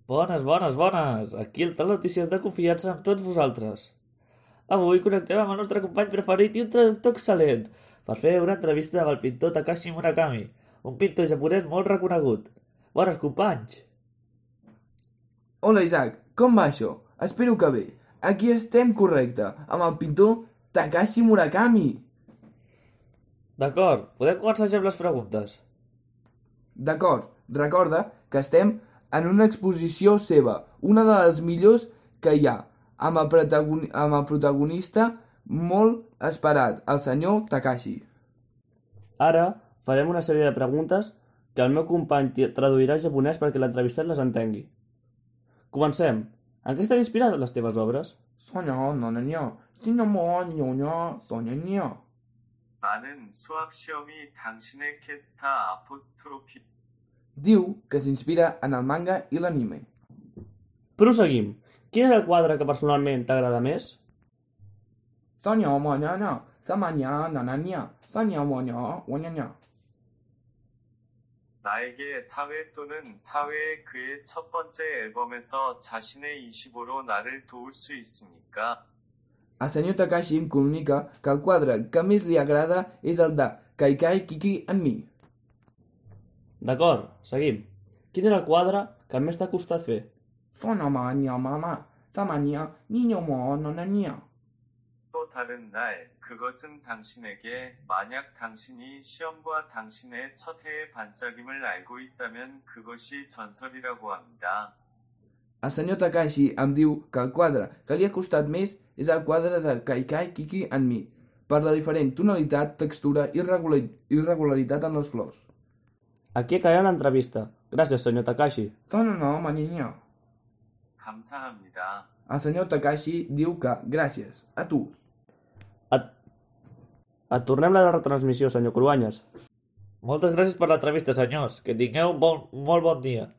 Bones, bones, bones! Aquí el tal notícies de confiança amb tots vosaltres. Avui connectem amb el nostre company preferit i un traductor excel·lent per fer una entrevista amb el pintor Takashi Murakami, un pintor japonès molt reconegut. Bones, companys! Hola Isaac, com va això? Espero que bé. Aquí estem correcte, amb el pintor Takashi Murakami. D'acord, podem començar ja amb les preguntes. D'acord, recorda que estem en una exposició seva, una de les millors que hi ha, amb el protagonista molt esperat, el senyor Takashi. Ara farem una sèrie de preguntes que el meu company traduirà al japonès perquè l'entrevistat les entengui. Comencem. En què estan inspirades les teves obres? 나는 수학 시험이 당신의 캐스타 아포스트로피 Diu que s'inspira en el manga i l'anime. Proseguim. Quin és el quadre que personalment t'agrada més? 나에게 사회 또는 사회의 그의 첫 번째 앨범에서 자신의 25로 나를 도울 수 있습니까? El senyor Takashi em comunica que el quadre que més li agrada és el de Kaikai Kiki and Me. D'acord, seguim. Quin és el quadre que més t'ha costat fer? 또 다른 날, 그것은 당신에게 만약 당신이 시험과 당신의 첫 해의 반짝임을 알고 있다면 그것이 전설이라고 합니다. El senyor Takashi em diu que el quadre que li ha costat més és el quadre de Kaikai Kiki and Me, per la diferent tonalitat, textura i irregularitat en les flors. Aquí acabem l'entrevista. Gràcies, senyor Takashi. 감사합니다. El senyor Takashi diu que gràcies a tu. Et tornem la retransmissió, senyor Cruanyes. Moltes gràcies per l'entrevista, senyors. Que tingueu un molt bon dia.